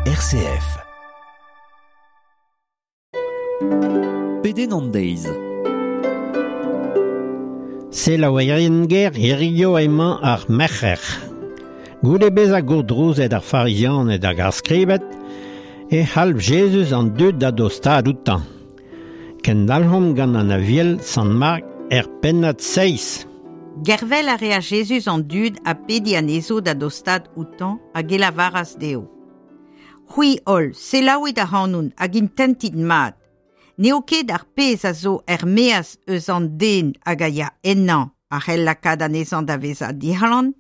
RCF. Pedenn an deiz. Selaouerien ger hirio emañ ar merc'her. Goude bezañ gourdrouzet ar Farizianed hag ar Skribed, e c'halv Jezuz an dud da dostaat outañ. Kendalc'homp gant an Aviel Sant Mark er pennad seizh. Gervel a rea Jezuz an dud ha pediñ anezho da dostaat outañ hag e lavaras dezho. C'hwi holl, selaouit ac'hanon hag intentit mat. N'eo ket ar pezh a zo er-maez eus an den hag a ya ennañ a c'hell lakaat anezhañ da vezañ dic'hlan,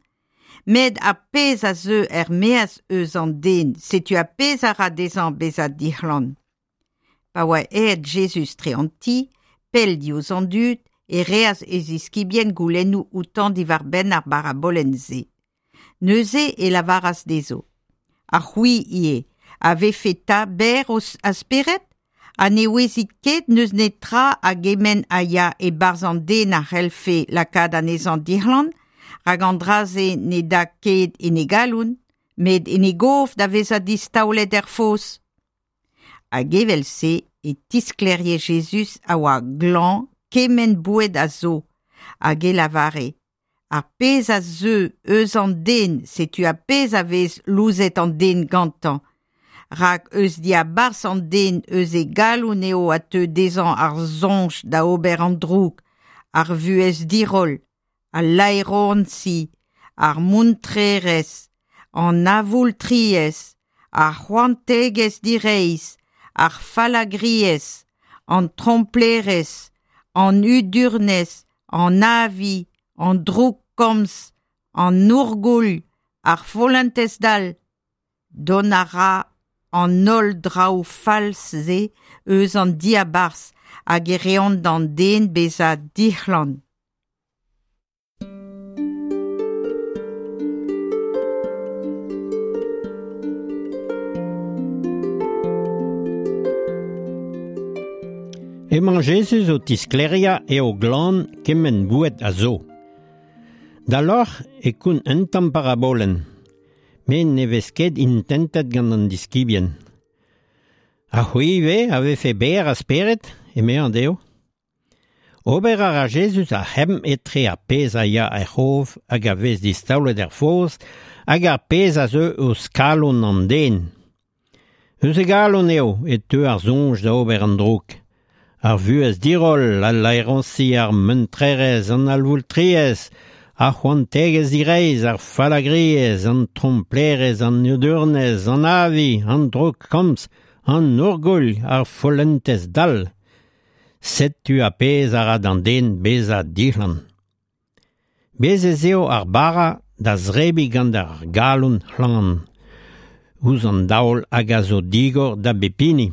met ar pezh a zeu er-maez eus an den, setu ar pezh a ra dezhañ bezañ dic'hlan. Pa oa aet Jezuz tre an ti, pell diouzh an dud, e reas e ziskibien goulennoù outañ diwar-benn ar barabolenn-se. Neuze e lavaras dezho: Ha c'hwi ivez, a vefe 'ta berr a spered? Ha ne ouezit ket n'eus netra a gement a ya e-barzh an den a c'hellfe lakaat anezhañ dic'hlan, rak an dra-se ne da ket en e galon, met en e gof da vezañ distaolet er foz. Hag evel-se e tisklerie Jezuz a oa glañv kement boued a zo, hag e lavare: Ar pezh a zeu eus an den, setu ar pezh a vez louzet an den gantañ. Rak eus diabarzh an den eus e galon eo a teu dezhañ ar soñj da ober an droug, ar vuhez diroll, al laeroñsi, ar muntrerezh, an avoultriezh, ar c'hoantegezh direizh, ar fallagriezh, an tromplerezh, an hudurnez, an avi, an droukkomz, an ourgouilh, ar follentez dall. Dont a ra an holl draoù fall-se eus an diabarzh hag e reont d'an den bezañ dic'hlan. Emañ Jezuz o tisklêriañ eo glan kement boued a zo. Da lorc'h e koun un tamm parabolenn, met ne vez ket intentet gant an diskibien. Ha c'hwi ivez a vefe berr a spered, emezañ dezho. Ober a ra Jezuz ar c'hemm etre ar pezh a ya er c'hof hag a vez distaolet er foz hag ar pezh a zeu eus kalon an den. Eus e galon eo e teu ar soñj da ober an droug. Ar vuhez diroll, al laeroñsi, ar muntrerezh, an avoultriezh, ar c'hoantegezh direizh, ar fallagriezh, an tromplerezh, an hudurnez, an avi, an droukkomz, an ourgouilh, ar follentez dall. Setu ar pezh a ra d'an den bezañ dic'hlan. Bez' ez eo ar bara da zebriñ gant ar galon c'hlan, ouzh an daol hag a zo digor da bep hini.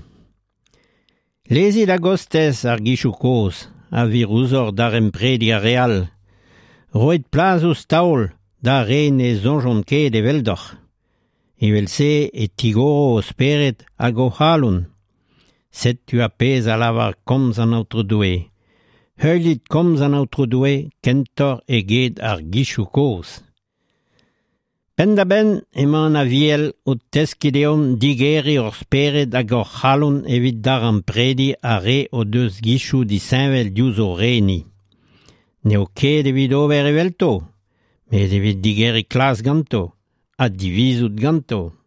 Lezit a-gostez ar gizioù kozh a vir ouzhoc'h daremprediñ ar re all. Roit plas ouzh taol d'ar re ne soñjont ket eveldoc'h. Evel-se e tigoro ho spered hag ho c'halon. Setu ar pezh a lavar komz an Aotrou Doue. Heuliit komz an Aotrou Doue kentoc'h eget ar gizioù kozh. Penn-da-benn emañ an Aviel o teskiñ deomp digeriñ hor spered hag hor c'halon evit daremprediñ ar re o deus gizioù disheñvel diouzh o re-ni. N'eo ket evit ober evelto, met evit digeriñ klas ganto ha divizout ganto.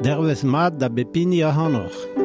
Dervez mat da bep hini ac'hanoc'h.